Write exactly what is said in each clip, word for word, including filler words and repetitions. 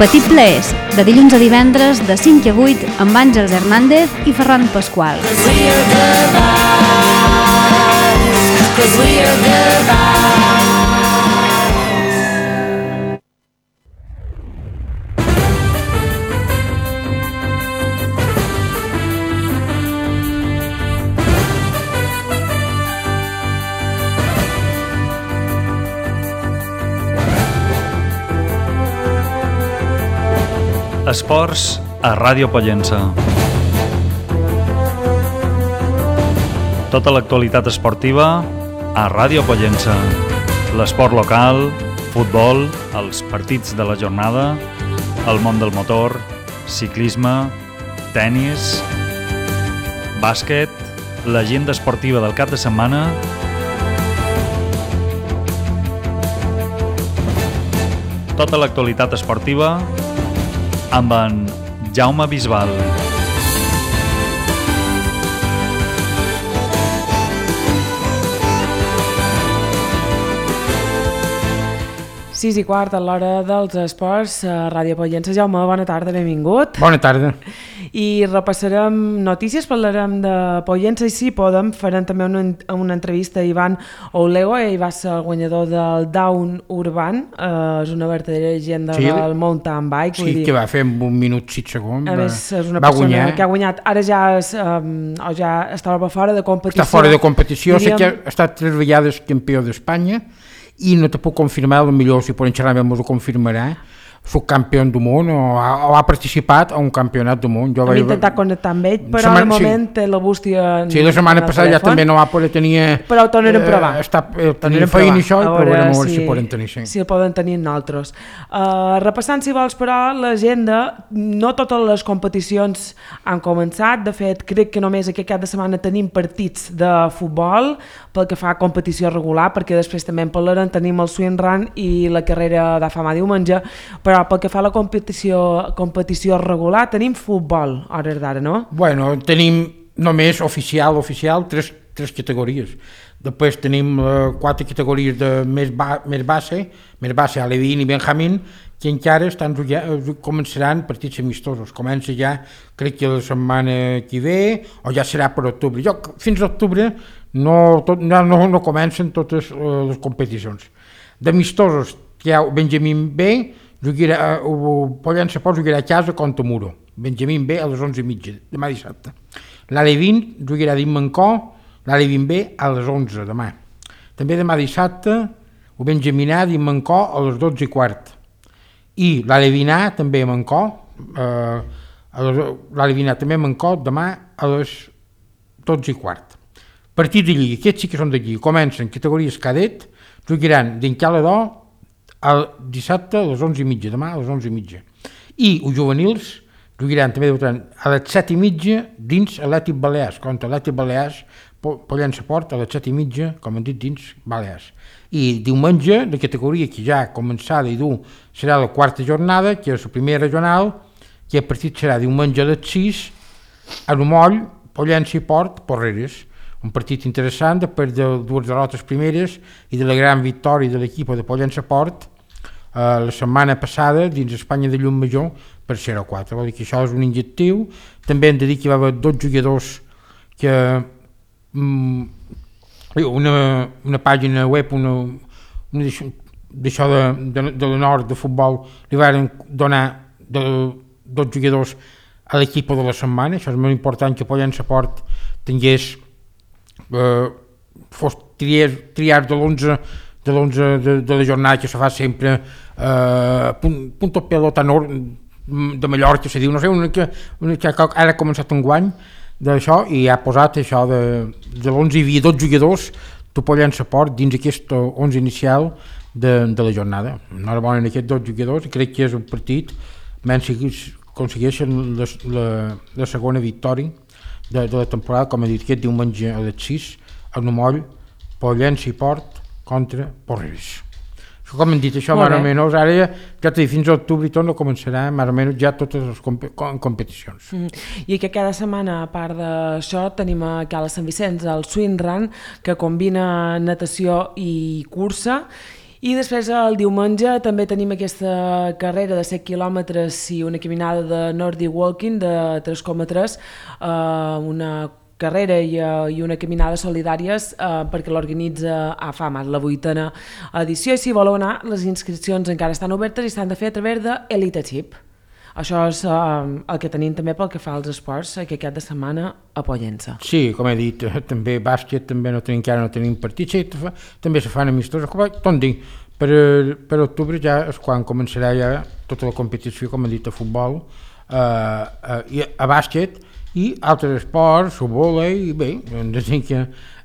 Petit Plaers, de dilluns a divendres de cinc a vuit amb Àngels Hernández i Ferran Pasqual. Esports a Ràdio Pollença. Tota l'actualitat esportiva a Ràdio Pollença. L'esport local, futbol, els partits de la jornada, el món del motor, ciclisme, tennis, bàsquet, l'agenda esportiva del cap de setmana, tota l'actualitat esportiva amb en Jaume Bisbal. sis i quart a l'hora dels esports a Ràdio Pollença. Jaume, bona tarda, benvingut. Bona tarda. I repassarem notícies, parlarem de Pollença i si podem farem també una, una entrevista a Ivan Oulego. Ell va ser el guanyador del Down Urban, eh, és una verdadera llegenda sí, del mountain bike. Sí, dir, que va fer en un minut sis segons. A més, és una va persona guanyar. Que ha guanyat. Ara ja, és, um, ja estava fora de competició. Està fora de competició, diríem... sé que ha estat tres vegades campió d'Espanya i no te puc confirmar, potser si podem xerrar m'ho confirmarà, subcampió del món o ha, o ha participat a un campionat del món. Jo Hem vaig... intentat connectar amb ell, però setmana, de moment sí. té la bústia en, sí, la setmana passada ja també no va poder tenir... Però ho tornarem a provar. Eh, està, eh, tenir feina i això, i provarem a veure si, si poden tenir. Sí. Si el poden tenir nosaltres. Uh, repassant, si vols, però, l'agenda, no totes les competicions han començat. De fet, crec que només aquest cap de setmana tenim partits de futbol pel que fa a competició regular, perquè després també en parlarem, tenim el swing run i la carrera de fama diumenge, però pel que fa a la competició, competició regular tenim futbol, a hores d'ara, no? Bueno, tenim només oficial, oficial, tres, tres categories. Després tenim uh, quatre categories de més, ba més base, més base, Alevín i Benjamín, que encara estan, ja, començaran partits amistosos. Comença ja, crec que la setmana que ve, o ja serà per octubre. Jo, fins a octubre no, tot, no, no, no comencen totes uh, les competicions. D'amistosos, hi ha Benjamín B, jugarà, uh, Pollença Port jugarà a casa contra Muro. Benjamín B a les onze i mitja, demà dissabte. L'Alevín jugarà a Mancó, l'Alevín B a les onze demà. També demà dissabte, el Benjamín A a Mancó a les dotze i quart. I l'Alevín A també a Mancó, eh, l'Alevín A també a Mancó demà a les dotze i quart. Partits de lliga, aquests sí que són de lliga. Comencen categories cadet, jugaran d'Encalador el dissabte a les onze i mitja, demà a les onze i mitja. I els juvenils jugaran també a les set i mitja dins Atlètic Balears, contra Atlètic Balears, Pollença Port a les set i mitja, com hem dit, dins Balears. I diumenge, la categoria que ja ha començat i dur serà la quarta jornada, que és la primera regional, que el partit serà diumenge a les sis, a Moll, Pollença i Port, Porreres. Un partit interessant, després de dues derrotes primeres i de la gran victòria de l'equip de Pollença Port eh, la setmana passada dins Espanya de Llumajor per zero a quatre. Vol dir que això és un injectiu. També hem de dir que hi va haver dos jugadors que mm, una, una pàgina web, una, una d'això de, de, de la nord de futbol, li van donar de, dos jugadors a l'equip de la setmana. Això és molt important que Pollença Port tingués Uh, fos triar, triar de l'onze de, de, de la jornada que se fa sempre uh, punt, punto pelota nord de Mallorca, se diu, no sé, una que, una que ara ha començat un guany d'això i ha posat això de, de l'onze hi havia dos jugadors de Pollença Port dins aquest onze inicial de, de la jornada. Enhorabona aquests dos jugadors, crec que és un partit menys aconsegueixen la, la, la segona victòria De, de la temporada, com he dit, aquest diumenge a les sis, a Moll, Pollença i Port contra Porreres. Això, com hem dit, això més o menys, ara ja, ja t'he dit, fins a octubre i tot no començarà més o menys ja totes les comp competicions. Mm. I que cada setmana, a part d'això, tenim a Cala Sant Vicenç el swing run, que combina natació i cursa, I després el diumenge també tenim aquesta carrera de set quilòmetres i una caminada de Nordic Walking de tres coma tres, eh, una carrera i, uh, i una caminada solidàries uh, perquè l'organitza A F A M, la vuitena edició, i si voleu anar, les inscripcions encara estan obertes i s'han de fer a través d'Elite Chip. Això és uh, el que tenim també pel que fa als esports que aquest de setmana a Pollença. Sí, com he dit, també bàsquet, també no tenim, encara no tenim partits, sí, també se fan amistosos, com dic, per, per octubre ja és quan començarà ja tota la competició, com he dit, a futbol, uh, uh, i a bàsquet, i altres esports, o vòlei, i bé, ens dic que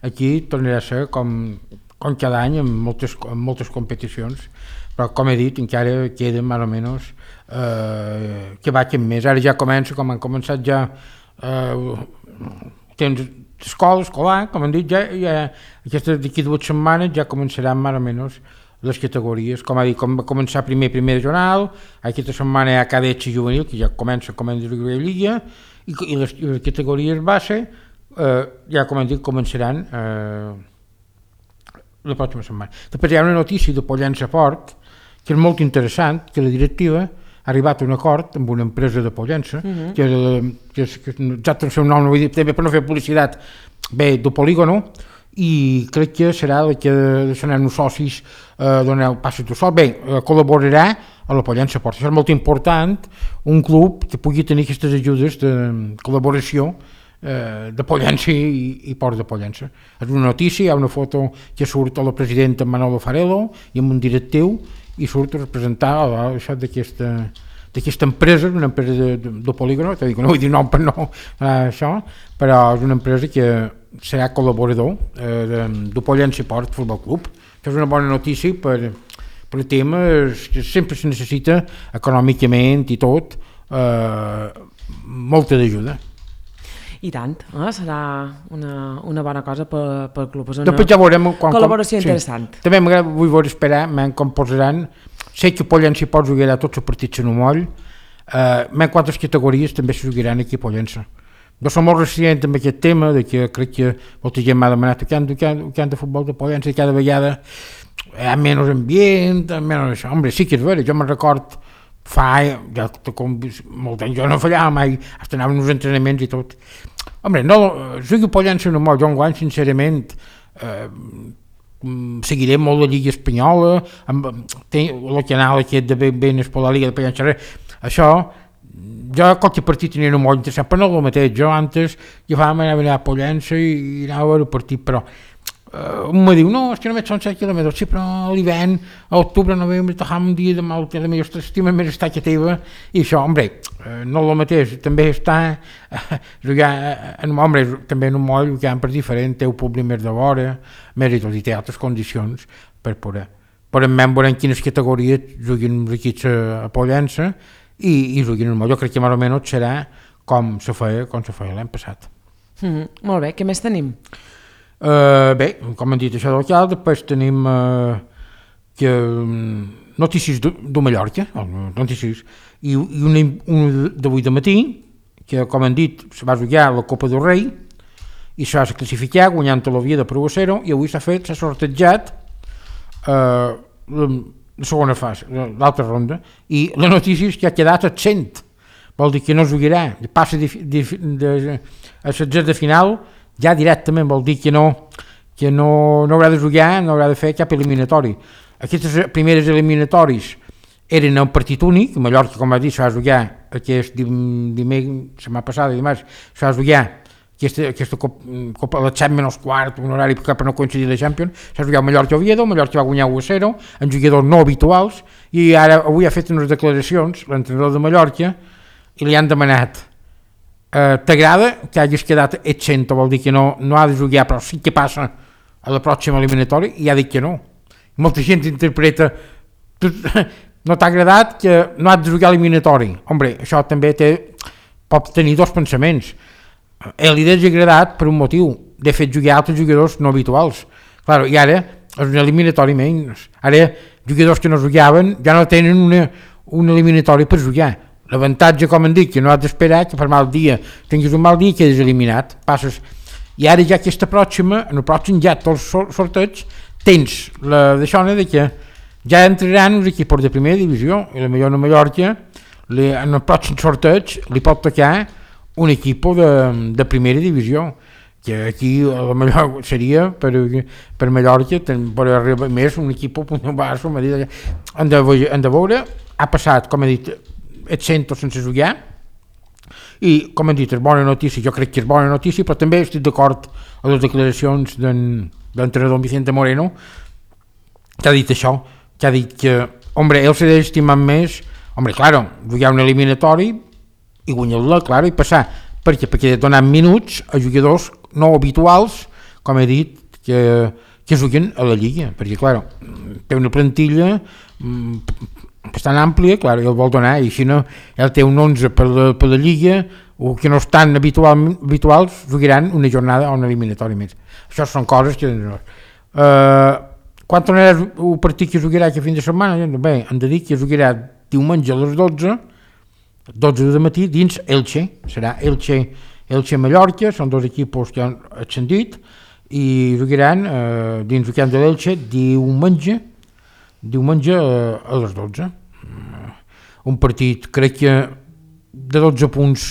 aquí tornarà a ser com, com cada any en moltes, en moltes competicions, però com he dit encara queda més o menys eh, que vagin més. Ara ja comença, com han començat ja eh, temps d'escola, escolar, com han dit, ja, ja aquestes d'aquí dues setmanes ja començaran més o menys les categories, com ha dit, com va començar primer primer jornal, aquesta setmana hi ha cadets i juvenil, que ja comença com a lliga, i, i les, les categories base eh, ja com han dit començaran eh, la pròxima setmana. Després hi ha una notícia de Pollença Port que és molt interessant, que la directiva ha arribat a un acord amb una empresa de Pollença, uh-huh. que, que, és, que exacte el seu nom, no vull dir, també per no fer publicitat, bé, de Polígono, i crec que serà la que seran els socis eh, doneu passes de sol. Bé, eh, col·laborarà a la Pollença Port. Això és molt important, un club que pugui tenir aquestes ajudes de col·laboració eh, de Pollença i, i Port de Pollença. És una notícia, hi ha una foto que surt a la presidenta Manolo Farelo i amb un directiu, i surt a representar això d'aquesta d'aquesta empresa, una empresa de, de, de Polígono, que dic, no vull dir nom per no eh, això, però és una empresa que serà col·laborador eh, de, de Pollença Port Futbol Club. Això és una bona notícia per, per temes que sempre se necessita econòmicament i tot, eh, molta d'ajuda. I tant, eh? Serà una, una bona cosa pel, pel club. És una Després ja veurem quan, col·laboració com, interessant. Sí. També vull veure esperar com posaran. Sé que Pollença i Port jugarà tots els partits en un moll, eh, quantes categories també se jugaran aquí a Pollença. Jo som molt resistent amb aquest tema, de que crec que molta gent m'ha demanat que han, que, han, que han de futbol de Pollença i cada vegada hi ha menys ambient, menys això. Hombre, sí que és vera, jo me'n record fa, ja, com, molt anys, jo no fallava mai, hasta anava uns entrenaments i tot. Hombre, no, jugui Pollença en un moll, jo enguany, sincerament, eh, seguiré molt la Lliga Espanyola, amb el canal aquest de ben ben per la Lliga de Pollença, això, jo qualque partit tenia un molt interessant, però no el mateix, jo antes agafàvem, anava a Pollença i, i anava a veure el partit, però uh, un me diu, no, és que només són set quilòmetres, sí, però a l'hivern, a octubre, novembre, t'agafam un dia de mal, que la millor estima més està que teva, i això, hombre, uh, no el mateix, també està, uh, jugar, en, hombre, també en un moll, que per diferent, té un públic més de vora, més i tot, i té altres condicions per poder. Però en veurem quines categories juguin els equips a, a Pollença, i, i juguin en un moll. Jo crec que més o menys serà com se feia, com se feia l'any passat. Mm-hmm. Molt bé, què més tenim? Uh, bé, com hem dit això del cal, després tenim uh, que, um, notícies de, de Mallorca, notícies, i, i una, una d'avui de matí, que com hem dit, se va jugar la Copa del Rei, i se va classificar guanyant la via de Pro a zero, i avui s'ha fet, s'ha sortejat uh, la, la segona fase, l'altra ronda, i la notícia és que ha quedat absent, vol dir que no jugarà, passa de, de, de, a setze de final, ja directament vol dir que no, que no, no haurà de jugar, no haurà de fer cap eliminatori. Aquestes primeres eliminatoris eren un partit únic, Mallorca, com va dir, s'ha de jugar aquest dimecres, setmana passada, dimarts, s'ha de jugar aquesta, aquesta copa, a les set menys quart, un horari per no coincidir la Champions, s'ha jugat Mallorca-Oviedo, Mallorca va guanyar u a zero, en jugadors no habituals, i ara avui ha fet unes declaracions, l'entrenador de Mallorca, i li han demanat eh, t'agrada que hagis quedat absent, vol dir que no, no ha de jugar, però sí que passa a la pròxima eliminatòria, i ha dit que no. Molta gent interpreta, no t'ha agradat que no has de jugar eliminatori. Hombre, això també té, pot tenir dos pensaments. A li ha agradat per un motiu, de fet jugar altres jugadors no habituals. Claro, i ara és un eliminatori menys. Ara jugadors que no jugaven ja no tenen una, un eliminatori per jugar. L'avantatge, com han dit, que no has d'esperar que per mal dia tinguis un mal dia i quedes eliminat. Passes. I ara ja aquesta pròxima, en el pròxim ja tots els sorteig, tens la d'això de que ja entraran els equips de primera divisió i la millor a Mallorca li, en el pròxim sorteig li pot tocar un equip de, de primera divisió, que aquí a la millor seria per, per Mallorca per arribar més un equip un basso, han de, han de veure, ha passat, com he dit, et sento sense jugar, i com hem dit, és bona notícia, jo crec que és bona notícia, però també estic d'acord amb les declaracions d'entrenador Vicente Moreno, que ha dit això, que ha dit que, hombre, ell s'ha d'estimar més, hombre, claro, jugar un eliminatori i guanyar-la, claro, i passar, perquè perquè ha donat minuts a jugadors no habituals, com he dit, que, que juguen a la Lliga, perquè, claro, té una plantilla bastant àmplia, clar, ell vol donar, i si no, ell té un onze per la, per la Lliga, o que no estan habitual, habituals, jugaran una jornada o un eliminatori més. Això són coses que... Uh, quan tornarà el partit que jugarà aquest fin de setmana? Bé, hem de dir que jugarà diumenge a les dotze, dotze de matí, dins Elche, serà Elche, Elche-Mallorca, són dos equips que han ascendit, i jugaran uh, dins el camp de l'Elche diumenge, diumenge a les dotze. Un partit, crec que de dotze punts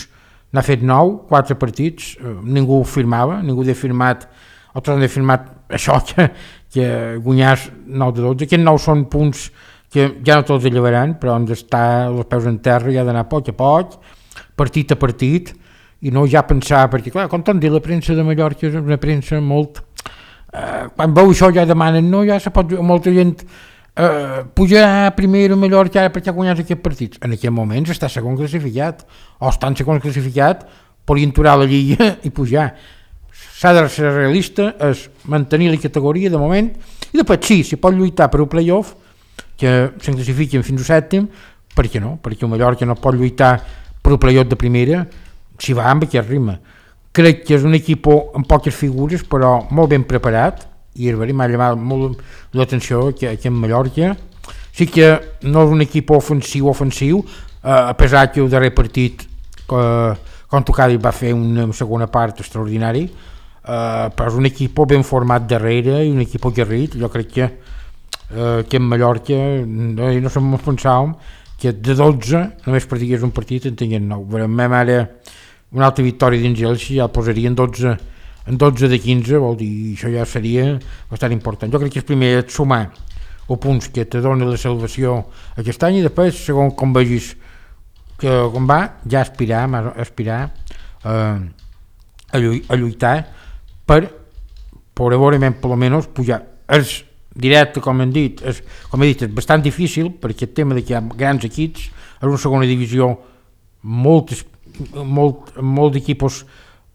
n'ha fet nou, quatre partits, ningú firmava, ningú ha firmat, altres han firmat això, que, que guanyàs nou de dotze. Aquests nou són punts que ja no tots llevaran, però han d'estar els peus en terra i ha d'anar a poc a poc, partit a partit, i no ja pensar, perquè clar, com t'han dit, la premsa de Mallorca és una premsa molt... Eh, quan veu això ja demanen, no, ja se pot... Molta gent... Uh, pujar primer a Mallorca ara perquè guanyar aquests partits, en aquest moment està segon classificat o està en segon classificat, podrien aturar la Lliga i pujar. S'ha de ser realista, és mantenir la categoria de moment, i després sí, si pot lluitar per un playoff que se'n classifiquen fins al sèptim, per què no? Perquè el Mallorca no pot lluitar per un playoff de primera si va amb aquest ritme. Crec que és un equip amb poques figures però molt ben preparat, i m'ha llamat molt l'atenció que aquí en Mallorca sí que no és un equip ofensiu ofensiu, eh, a pesar que el darrer partit eh, contra Cádiz va fer una segona part extraordinari, eh, però és un equip ben format darrere i un equip aguerrit. Jo crec que eh, que en Mallorca no, no som pensàvem que de dotze només perdigués un partit en tenien nou. Veurem ara una altra victòria dins Elche, ja el posarien dotze en dotze de quinze, vol dir, això ja seria bastant important. Jo crec que és primer sumar els punts que te dona la salvació aquest any i després, segons com vegis que com va, ja aspirar, aspirar eh, a, lluir, a lluitar per, per veurement, per almenys, pujar. És directe, com hem dit, és, com he dit, és bastant difícil, perquè el tema de que hi ha grans equips, és una segona divisió molt, molt, molt d'equipos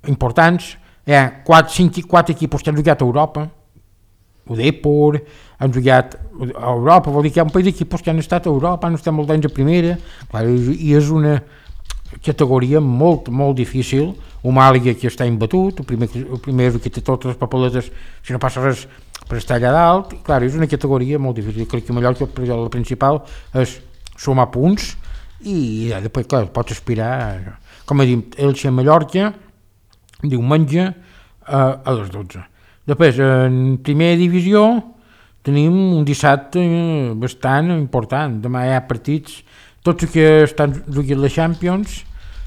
importants. Hi ha quatre, cinc, quatre equipos que han jugat a Europa, o Depor, han jugat a Europa, vol dir que hi ha un país d'equipos que han estat a Europa, han estat molt anys a primera, clar, i és una categoria molt, molt difícil. Un Màlaga que està imbatut, el primer, el primer que té totes les papeletes, si no passa res, per estar allà dalt, i, clar, és una categoria molt difícil. Crec que Mallorca, la principal, és sumar punts, i ja, després, clar, pots aspirar, com he dit, Elche-Mallorca, diumenge eh, a les dotze. Després, en primera divisió tenim un dissabte bastant important. Demà hi ha partits, tots els que estan jugant la Champions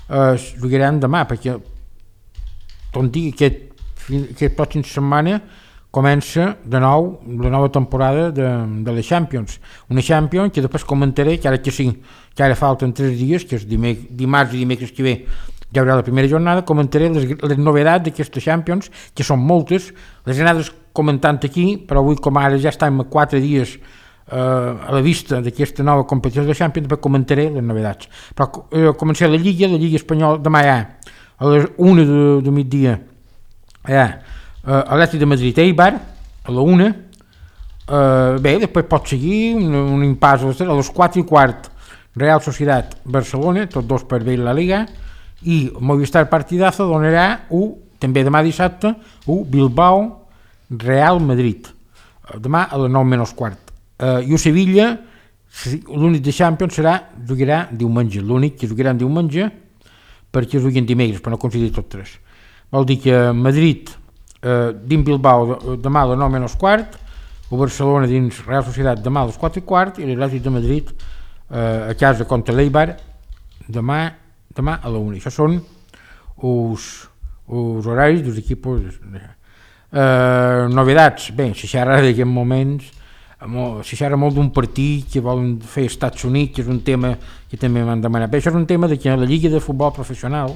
eh, jugaran demà, perquè tot dic, aquest, aquest pròxim setmana comença de nou la nova temporada de, de la Champions. Una Champions que després comentaré, que ara que sí, que ara falten tres dies, que és dimec, dimarts i dimecres que ve ja haurà la primera jornada, comentaré les, les novetats d'aquesta Champions, que són moltes, les he anat comentant aquí, però avui com ara ja estem a quatre dies eh, a la vista d'aquesta nova competició de la Champions, després comentaré les novetats. Però eh, començaré la Lliga, la Lliga Espanyola, demà hi ha a les una de, de migdia, hi ha eh, Atlètic de Madrid Eibar, a la una, eh, bé, després pot seguir un, un impàs a les, a les quatre i quart, Real Societat Barcelona, tots dos per veure la Liga, i Movistar Partidazo donarà un, també demà dissabte, un Bilbao Real Madrid, demà a les nou menys quart. Uh, i el Sevilla, l'únic de Champions serà, jugarà diumenge, l'únic que jugarà diumenge, perquè juguen dimecres, però no consideri tots tres. Vol dir que Madrid, uh, dins Bilbao, demà a les nou menys quart, el Barcelona dins Real Societat demà a les quatre i quart i l'Atlètic de Madrid eh, a casa contra l'Eibar demà, demà a la una. Això són els, els horaris dels equips. Eh, novedats, bé, si xerra d'aquests moments, si xerra molt d'un partit que volen fer als Estats Units, que és un tema que també m'han demanat. Bé, això és un tema de que la Lliga de Futbol Professional,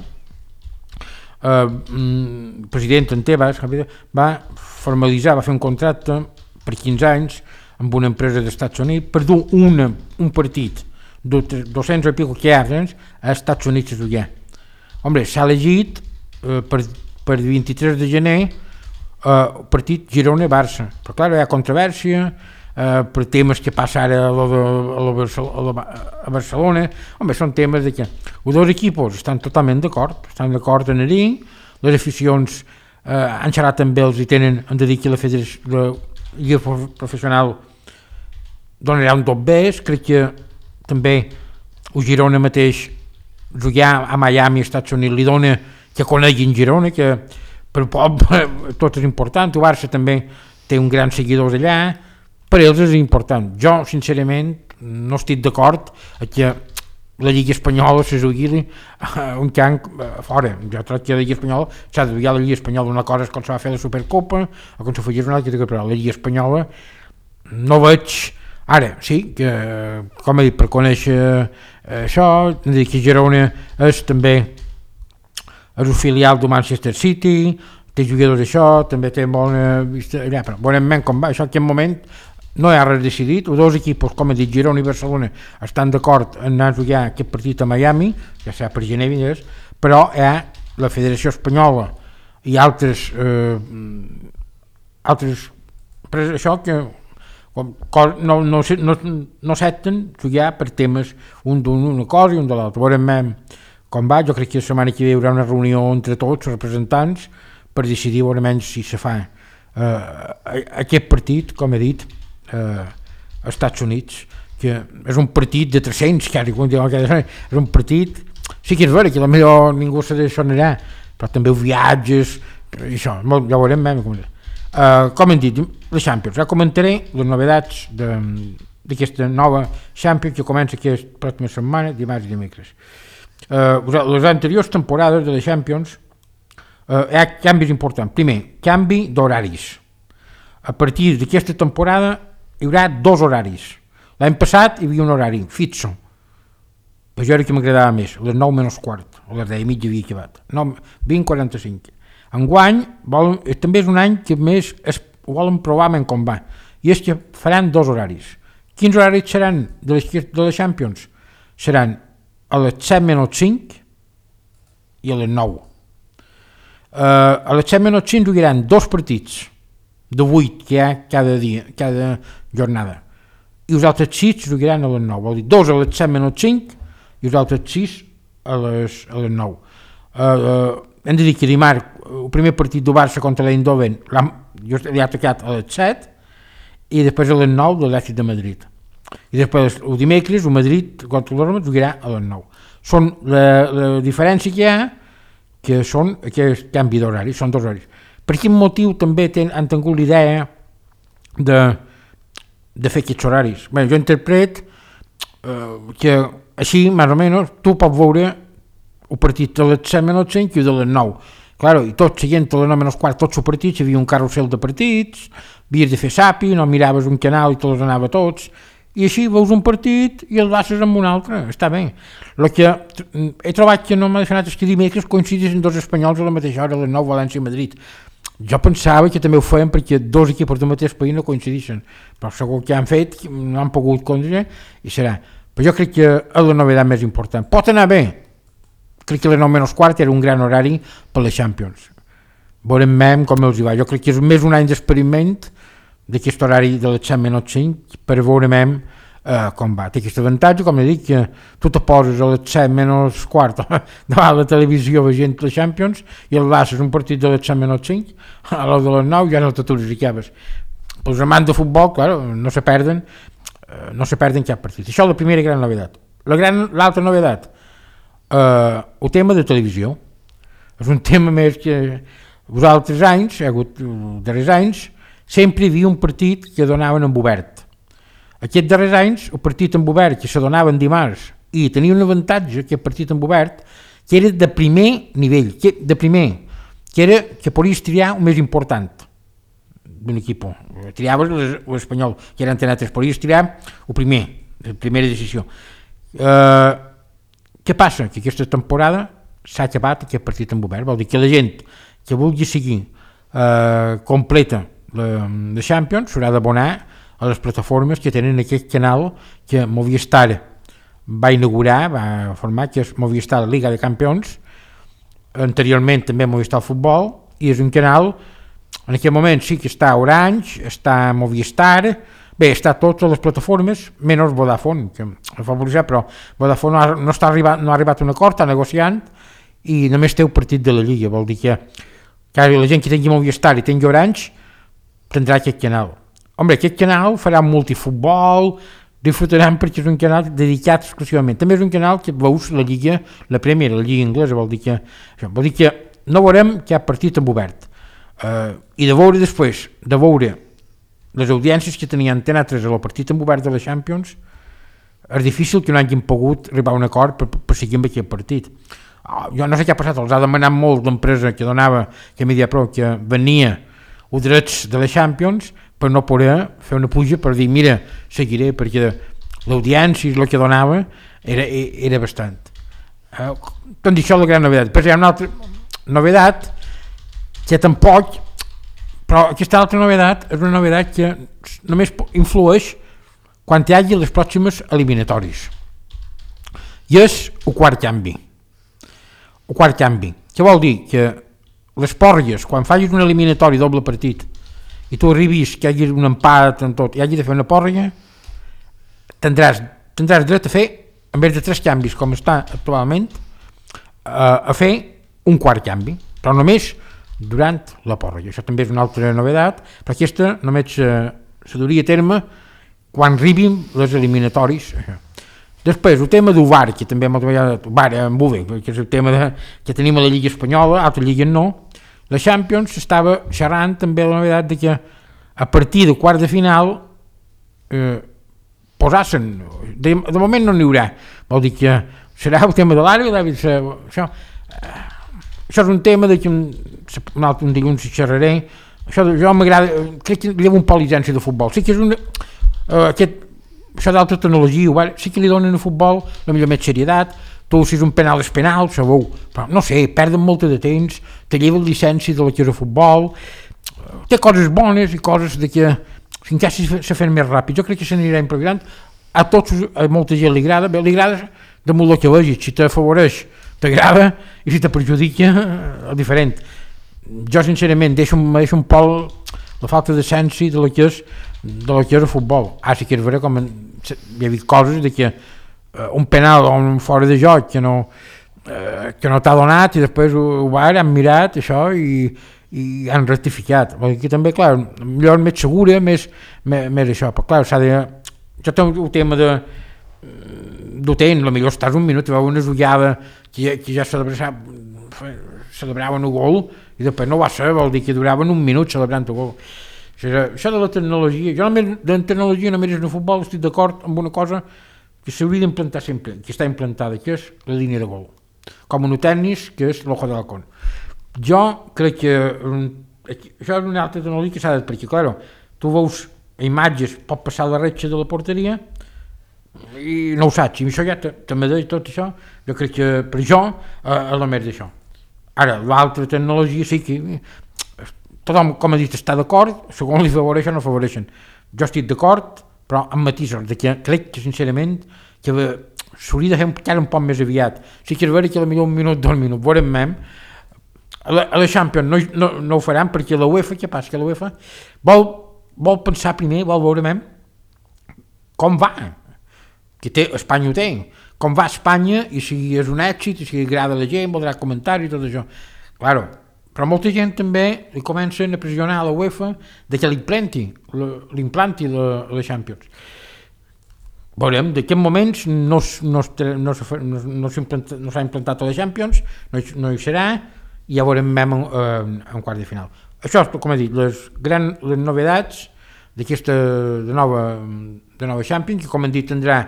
eh, el president en Tebas va formalitzar, va fer un contracte per quinze anys amb una empresa dels Estats Units per dur una, un partit de dos-cents i pico que hi ha als Estats Units a jugar. Home, s'ha elegit eh, per, per vint-i-tres de gener el uh, partit Girona-Barça, però clar, hi ha controvèrsia uh, per temes que passa ara a, la, a, la, a, la, a Barcelona. Home, són temes de que els dos equips estan totalment d'acord, estan d'acord en anar-hi, les aficions uh, han xerrat amb ells i tenen, han de dir que la federació, la Lliga Professional donarà un tot bé. Crec que també el Girona mateix jugar a Miami, als Estats Units, li dona que coneguin Girona, que per poble tot és important. El Barça també té un gran seguidors allà, per ells és important. Jo, sincerament, no estic d'acord que la Lliga Espanyola se jugui un camp fora. Jo crec que la Lliga Espanyola s'ha de jugar la Lliga Espanyola. Una cosa és com se va fer la Supercopa o com se feia una altra, però la Lliga Espanyola no veig. Ara, sí, que, com he dit, per conèixer això, que Girona és també és un filial del Manchester City, té jugadors d'això, també té bona vista allà, però veurem com va. Això en aquest moment no hi ha res decidit. Els dos equips, com he dit, Girona i Barcelona, estan d'acord en anar a jugar aquest partit a Miami, ja serà per gener, però hi ha la Federació Espanyola i altres eh, altres però això que no, no, no, no accepten jugar per temes un d'una cosa i un de l'altra. Veurem com va. Jo crec que la setmana que ve hi haurà una reunió entre tots els representants per decidir veurem si se fa eh, aquest partit, com he dit, eh, als Estats Units, que és un partit de tres-cents, que és un partit, sí que és vera que potser ningú se deixonarà, però també els viatges, i això, ja ho veurem. Uh, com hem dit, la Champions, ja comentaré les novedats d'aquesta nova Champions que comença aquesta pròxima setmana, dimarts i dimecres. Uh, les anteriors temporades de la Champions uh, hi ha canvis importants. Primer, canvi d'horaris. A partir d'aquesta temporada hi haurà dos horaris. L'any passat hi havia un horari fixo, però jo era que m'agradava més, a les nou menys quart, a les deu i mitja havia acabat, vint quaranta-cinc. Enguany volen, també és un any que més es volen provar com va, i és que faran dos horaris. Quins horaris seran de les, de les Champions? Seran a les set menys cinc i a les nou. Uh, a les set menys cinc jugaran dos partits de vuit que hi ha cada dia, cada jornada, i els altres sis jugaran a les nou, vol dir dos a les set menys cinc i els altres sis a les, a les nou. Uh, uh, hem de dir que dimarts el primer partit del Barça contra l'Eindhoven li ha tocat a les set i després a les nou de l'Atlètic de Madrid. I després el dimecres el Madrid contra l'Orma jugarà a les nou. Són la, la diferència que hi ha, que són aquest canvi d'horari, són dos horaris. Per quin motiu també ten, han tingut l'idea de, de fer aquests horaris? Bé, jo interpret eh, que així, més o menys, tu pots veure el partit de les set menys cinc i de les nou. Claro, i tot seguint a les nou menys quart, tots els partits, hi havia un carrusel de partits, havies de fer sapi, no miraves un canal i te els anava tots, i així veus un partit i el bases amb un altre, està bé. El que he trobat que no m'ha deixat és que dimecres coincidissin dos espanyols a la mateixa hora, a les nou, València i Madrid. Jo pensava que també ho feien perquè dos equips del mateix país no coincidissin, però segur que han fet, no han pogut coincidir i serà. Però jo crec que és la novetat més important. Pot anar bé, crec que les nou menys quart era un gran horari per les Champions. Veurem com els hi va. Jo crec que és més un any d'experiment d'aquest horari de les set menys cinc per veurem eh, com va. Té aquest avantatge, com he dit, que tu te poses a les set menys quart davant la televisió veient les Champions i el bases un partit de les set menys cinc, a l'hora de les nou ja no te t'orificaves. Els amants de futbol, clar, no se perden, eh, no se perden cap partit. Això és la primera gran novetat. La gran, l'altra novetat, eh, el tema de televisió. És un tema més que els altres anys, hi ha hagut els darrers anys, sempre hi havia un partit que donaven en obert. Aquests darrers anys, el partit en obert que se donaven dimarts i tenia un avantatge, aquest partit en obert, que era de primer nivell, que, de primer, que era que podies triar el més important d'un equip. Triaves l'Espanyol, que era Antena tres, podies triar el primer, la primera decisió. Uh, què passa? Que aquesta temporada s'ha acabat aquest partit en obert, vol dir que la gent que vulgui seguir uh, completa la, la Champions s'haurà d'abonar a les plataformes que tenen aquest canal que Movistar va inaugurar, va formar, que és Movistar Liga de Campions, anteriorment també Movistar Futbol, i és un canal, en aquest moment sí que està Orange, està Movistar, bé, està a totes les plataformes, menys Vodafone, que ho fa publicitat, però Vodafone no ha, no, està arribat, no ha arribat a un acord, està negociant, i només té el partit de la Lliga, vol dir que, que la gent que tingui Movistar i tingui Orange tindrà aquest canal. Home, aquest canal farà multifutbol, disfrutaran perquè és un canal dedicat exclusivament. També és un canal que veus la Lliga, la Premier, la Lliga Inglesa, vol dir que, això, vol dir que no veurem cap partit en obert. Uh, I de veure després, de veure les audiències que tenia Antena tres a la partit en obert de la Champions, és difícil que no hagin pogut arribar a un acord per, per seguir amb aquest partit. Uh, jo no sé què ha passat, els ha demanat molt l'empresa que donava, que Mediapro, que venia els drets de la Champions, per no poder fer una puja per dir, mira, seguiré, perquè l'audiència i el que donava era, era bastant. Uh, doncs això és la gran novedat. Però hi ha una altra novedat que tampoc, però aquesta altra novedat és una novedat que només influeix quan hi hagi les pròximes eliminatòries. I és el quart canvi. El quart canvi. Què vol dir? Que les porgues, quan facis un eliminatori doble partit, i tu arribis que hi hagi un empat en tot, i hagi de fer una pòrrega, tindràs, tindràs dret a fer, en vez de tres canvis com està actualment, a fer un quart canvi, però només durant la pòrrega. Això també és una altra novedat, però aquesta només se, se duria a terme quan arribin les eliminatoris. Després, el tema del V A R, que també moltes vegades, V A R en V U V, que és el tema de, que tenim a la Lliga Espanyola, altres lligues no. La Champions estava xerrant també la novedat de que a partir del quart de final eh, posassen, de, de moment no n'hi haurà, vol dir que serà el tema de l'àrea, això, eh, això és un tema de que un, un altre un dilluns hi xerraré, això jo m'agrada, crec que li lleva un poc llicència de futbol, sí que és una, eh, aquest, això d'altra tecnologia, sí que li donen a futbol la millor més serietat, tu si és un penal és penal, sabeu, però no sé, perden molt de temps, te lleva llicència de la que és el futbol, té coses bones i coses de que fins que se fan més ràpid. Jo crec que s'anirà improvisant, a tots, a molta gent li agrada, bé, li agrada damunt el que vegis, si t'afavoreix t'agrada i si te perjudica és diferent. Jo sincerament deixo, deixo un poc la falta d'essència de la que és de la que és el futbol. Ara sí que és vera com hi ha hagut coses de que un penal o un fora de joc que no, eh, que no t'ha donat i després ho, ho van, han mirat això i, i han rectificat. Aquí també, clar, millor més segura, més, més, més això, però clar, s'ha de... Jo tengo el tema de d'Otent, potser estàs un minut i veu una ullada que, que ja celebraven, celebraven un gol i després no va ser, vol dir que duraven un minut celebrant el gol. Això, això de la tecnologia, jo només de la tecnologia només en el futbol estic d'acord amb una cosa que s'hauria d'implantar sempre, que està implantada, que és la línia de gol, com en el tennis, que és l'ojo de halcón. Jo crec que això és una altra tecnologia que s'ha de, perquè, clar, tu veus imatges, pot passar la retxa de la porteria i no ho saps, i això ja també deia tot això, jo crec que per jo és la més d'això. Ara, l'altra tecnologia sí que tothom, com ha dit, està d'acord, segons li favoreixen o no favoreixen. Jo estic d'acord, però amb matisos, de que crec que sincerament que s'hauria de fer encara un poc més aviat. Sí que és vera que potser un minut, dos minuts, veurem mem. A la, a la Champions no, no, no ho faran perquè la UEFA, què passa? Que la UEFA vol, vol pensar primer, vol veure mem com va, que té, Espanya ho té, com va a Espanya i si és un èxit, i si agrada a la gent, voldrà comentaris i tot això. Claro, però molta gent també li comencen a pressionar a la UEFA de que l'implanti, l'implanti la, la Champions. Veurem, d'aquests moments no, no, no, no, no s'ha implantat, no implantat a la Champions, no, no hi serà, i ja veurem en, en, en quart de final. això, com he dit, les grans les novedats d'aquesta de nova, de nova Champions, que com hem dit tindrà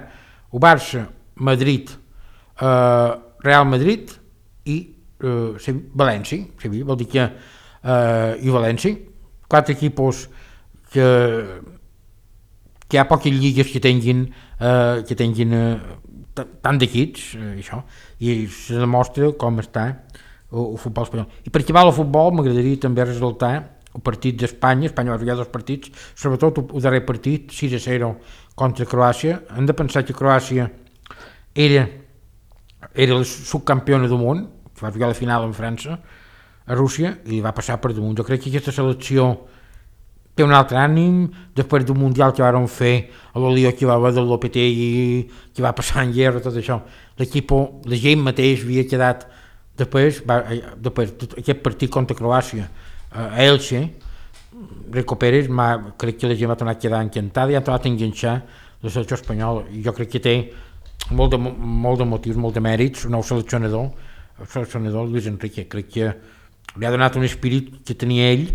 el Barça, Madrid, eh, Real Madrid i eh, València, Sevilla, vol dir que eh, i València, quatre equipos que, que hi ha poques lligues que tinguin, eh, que tinguin eh, tant d'equips, eh, això, i se demostra com està el, el futbol espanyol. I per acabar el futbol m'agradaria també resultar el partit d'Espanya. Espanya va jugar dos partits, sobretot el darrer partit, sis a zero contra Croàcia. Hem de pensar que Croàcia era, era la subcampiona del món, que va jugar la final en França, a Rússia, i va passar per damunt. Jo crec que aquesta selecció té un altre ànim, després del Mundial que van fer, a l'Olió que va haver del Lopetegui, que va passar en guerra, tot això, l'equip, la gent mateix havia quedat, després, va, després aquest partit contra Croàcia, a Elche, Rico Pérez, crec que la gent va tornar a quedar encantada i ha tornat a enganxar la selecció espanyola, i jo crec que té molt de, molt de motius, molt de mèrits, el nou seleccionador, el seleccionador Luis Enrique, crec que li ha donat un espírit que tenia ell,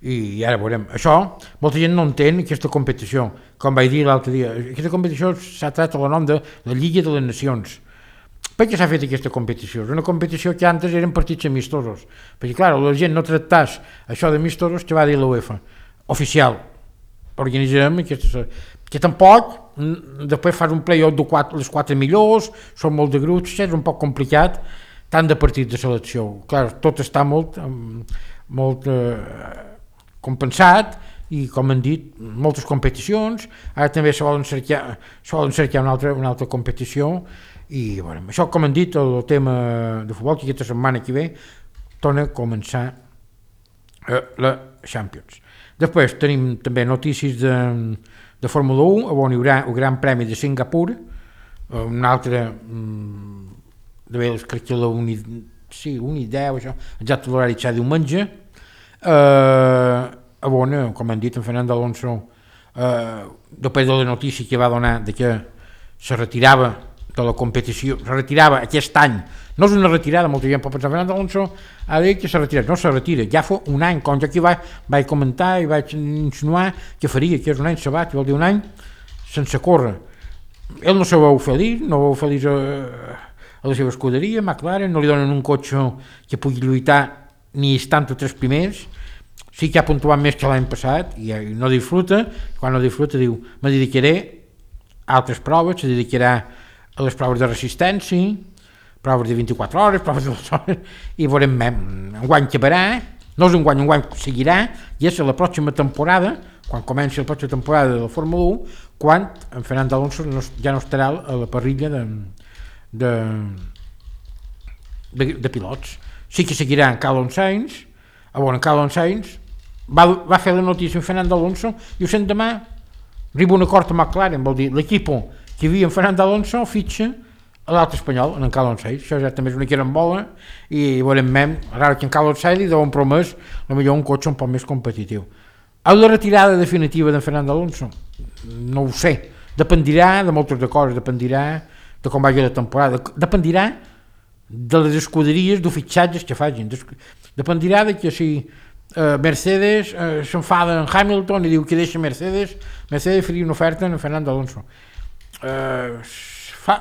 i ara veurem. Això, molta gent no entén aquesta competició, com vaig dir l'altre dia. Aquesta competició s'ha tret a la nom de la Lliga de les Nacions. Per què s'ha fet aquesta competició? És una competició que antes eren partits amistosos, perquè clar, la gent no tractàs això d'amistosos que va dir l'UEFA, oficial, organitzem aquesta, que tampoc, després fas un play-off de quatre, les quatre millors, són molt de grups, és un poc complicat, tant de partits de selecció. Clar, tot està molt, molt eh, compensat i, com han dit, moltes competicions. Ara també se volen cercar, se volen cercar una, altra, una altra competició i, bueno, això, com han dit, el tema de futbol, que aquesta setmana que ve torna a començar eh, la Champions. Després tenim també notícies de, de Fórmula u, on hi haurà el Gran Premi de Singapur, eh, un altre de bé, crec que la uni, sí, uni deu, això, exacte l'horari serà diumenge, eh, on, com han dit, en Fernando Alonso, eh, després de la notícia que va donar de que se retirava de la competició, se retirava aquest any, no és una retirada, molta gent pot pensar, Fernando Alonso ha dit que se retira, no se retira, ja fa un any, com jo aquí vaig, vaig comentar i vaig insinuar que faria, que és un any sabat, vol dir un any sense córrer. Ell no se veu feliç, no veu feliç a, a la seva escuderia, McLaren, no li donen un cotxe que pugui lluitar ni estar entre tres primers, sí que ha puntuat més que l'any passat i no disfruta, quan no disfruta diu, me dedicaré a altres proves, se dedicarà a les proves de resistència, proves de vint-i-quatre hores, proves de dues hores, i veurem, un guany acabarà, no és un guany, un guany seguirà, i és la pròxima temporada, quan comenci la pròxima temporada de la Fórmula u, quan en Fernando Alonso no, ja no estarà a la parrilla de, de, de, de pilots. Sí que seguirà en Carlos Sainz, on en Carlos Sainz va, va fer la notícia en Fernando Alonso, i ho sent demà, arriba un acord amb McLaren, vol dir, l'equip que hi havia en Fernando Alonso fitxa a l'altre espanyol, en Carlos Sainz, això ja també és una carambola, i veurem, ara que en Carlos Sainz li deuen promès potser un cotxe un poc més competitiu. A la retirada definitiva d'en Fernando Alonso, no ho sé, dependirà de moltes de coses, dependirà de com vagi la temporada, dependirà de les escuderies, de fitxatges que facin, dependirà de que si eh, Mercedes eh, s'enfada en Hamilton i diu que deixa Mercedes, Mercedes faria una oferta en Fernando Alonso. Eh, fa,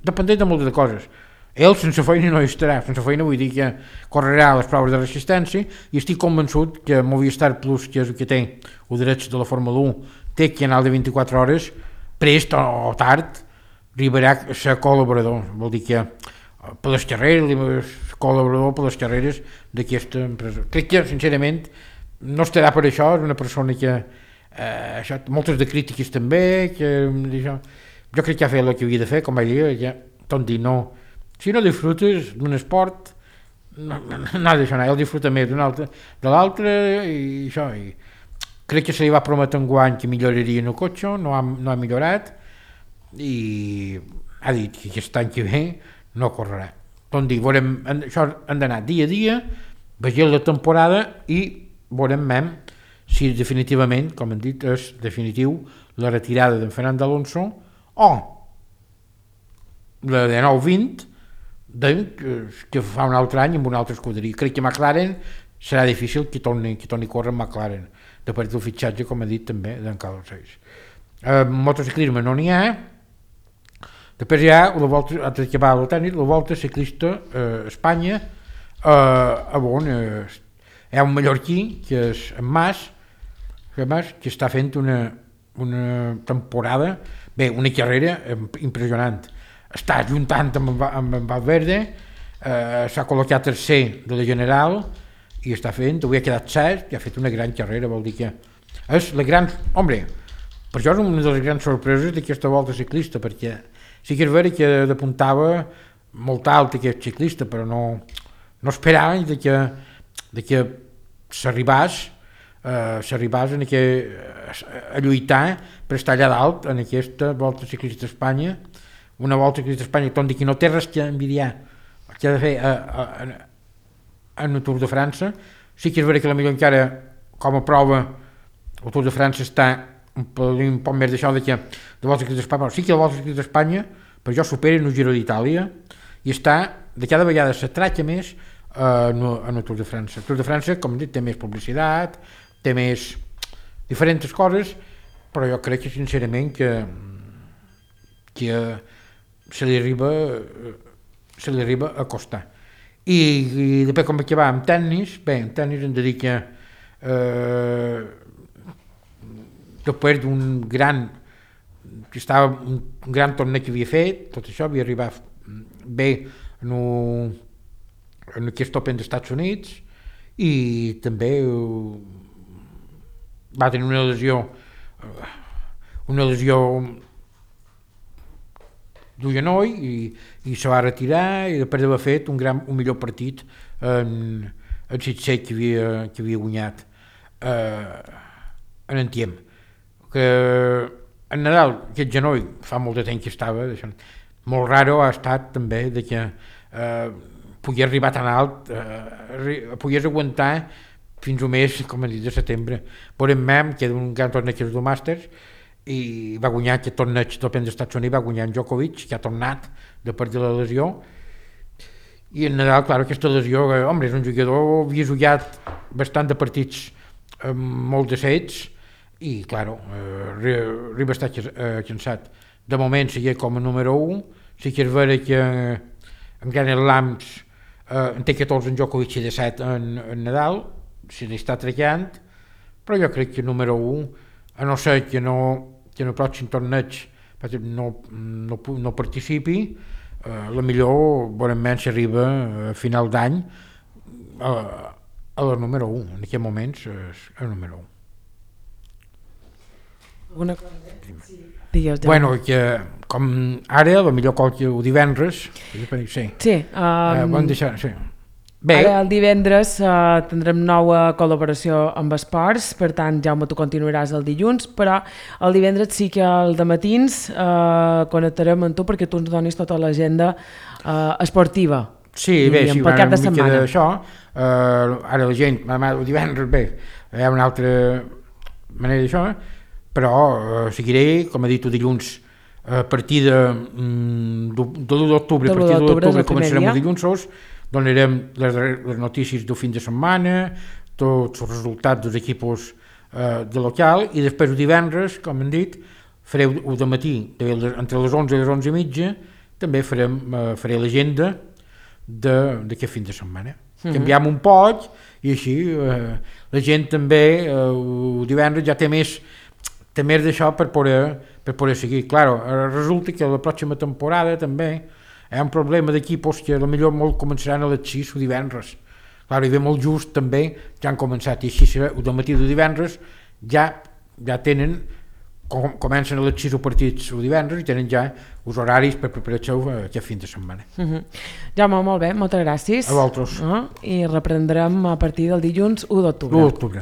dependent de moltes de coses. Ell sense feina no hi estarà, sense feina vull dir que correrà les proves de resistència i estic convençut que Movistar Plus, que és el que té el dret de la Fórmula u, té canal de vint-i-quatre hores, prest o tard arribarà a ser col·laborador, vol dir que per les carreres, col·laborador per les carreres d'aquesta empresa. Crec que, sincerament, no estarà per això, és una persona que eh, això, moltes de crítiques també, que això, jo crec que ha fet el que havia de fer, com vaig dir, ja, tot dir, no, si no disfrutes d'un esport, no, no, no ha d'això, ell disfruta més d'un altre, de l'altre, i això, i crec que se li va prometre un guany que milloraria en el cotxe, no ha, no ha millorat, i ha dit que aquest any que ve no correrà. Tot dir, veurem, això han d'anar dia a dia, vegem la temporada i veurem si definitivament, com hem dit, és definitiu la retirada d'en Fernando Alonso o la de nou vint de, que fa un altre any amb una altra escuderia. Crec que McLaren serà difícil que torni, que torni a córrer amb McLaren, de part del fitxatge, com he dit també, d'en Carlos Sainz. Eh, motociclisme no n'hi ha. Després hi ha la volta, altre que va a tennis, la volta ciclista a eh, Espanya, eh, on eh, hi ha un mallorquí, que és en Mas, que, Mas, que està fent una, una temporada, bé, una carrera impressionant. Està juntant amb, amb, amb Valverde, eh, s'ha col·locat tercer de la General i està fent, avui ha quedat set i ha fet una gran carrera, vol dir que és la gran... Home, per això és una de les grans sorpreses d'aquesta volta ciclista, perquè sí que és vera que d'apuntava molt alt aquest ciclista, però no, no esperava de que, de que s'arribàs eh, s'arribàs a, que, a lluitar per estar allà dalt en aquesta volta ciclista d'Espanya, una volta ciclista d'Espanya que, que no té res que envidiar que ha de fer a, a, a, en el Tour de França. Sí que és vera que la millor encara com a prova el Tour de França està un, un poc més d'això de que de volta ciclista d'Espanya, però sí que la volta ciclista d'Espanya per jo supera en el Giro d'Itàlia i està de cada vegada s'atraca més eh, en, en el Tour de França. El Tour de França, com he dit, té més publicitat, té més diferents coses, però jo crec que sincerament que, que se li arriba se li arriba a costar. I, i després com que va amb tennis, bé, en tennis hem de dir que eh, després d'un gran que estava un gran torneig que havia fet, tot això havia arribat bé en, un, en aquest Open dels Estats Units i també uh, va tenir una lesió uh, una lesió d'un genoll i, i se va retirar i després d'haver fet un, gran, un millor partit en el Sitset que havia, que havia guanyat eh, en Antiem. Que en Nadal aquest genoll fa molt de temps que estava, molt raro ha estat també de que eh, pogués arribar tan alt, eh, pogués aguantar fins al mes, com he dit, de setembre. Veurem Mem, que era un gran torneig dels Masters, i va guanyar aquest torneig d'Open dels Estats Units, va guanyar en Djokovic, que ha tornat de part de la lesió, i en Nadal, clar, aquesta lesió, eh, home, és un jugador, havia jugat bastant de partits eh, molt de sets, i, clar, eh, arriba a estar eh, cansat. De moment seguia com a número un, sí que és vera que en Grand Slams eh, en té catorze en Djokovic i disset en, en Nadal, se li està tracant, però jo crec que número un, a no ser que no que en el pròxim torneig no, no, no participi, eh, la millor bonament s'arriba a final d'any a, a la número un, en aquests moments és el número un. Una cosa, sí. Digues, ja. Bueno, que com ara, la millor qualque divendres, sí, sí, um, eh, bon deixar, sí. Bé. Ara el divendres uh, tindrem nova col·laboració amb esports, per tant, Jaume, tu continuaràs el dilluns, però el divendres sí que al dematins uh, connectarem amb tu perquè tu ens donis tota l'agenda uh, esportiva. Sí, bé, sí, per cap de setmana. Això, uh, ara la gent, el divendres, bé, hi ha una altra manera d'això, però uh, seguiré, com he dit, el dilluns, a partir de, mm, de l'u d'octubre, a partir de l'u d'octubre començarem el dilluns, donarem les, les notícies del fin de setmana, tots els resultats dels equips eh, de local, i després el divendres, com hem dit, fareu el de matí, entre les onze i les onze i mitja, també farem, eh, faré l'agenda d'aquest fin de setmana. Mm-hmm. Canviem un poc, i així eh, la gent també, eh, el divendres ja té més, té més d'això per poder, per poder seguir. Claro, resulta que la pròxima temporada també hi ha un problema d'equipos que potser molt començaran a les sis o divendres. Clar, hi ve molt just també, ja han començat, i així serà, el matí de divendres ja, ja tenen, com, comencen a les sis o partits o divendres i tenen ja els horaris per preparar-se aquest fin de setmana. Uh-huh. Jaume, molt bé, moltes gràcies. A vosaltres. Uh, I reprendrem a partir del dilluns u d'octubre. u d'octubre.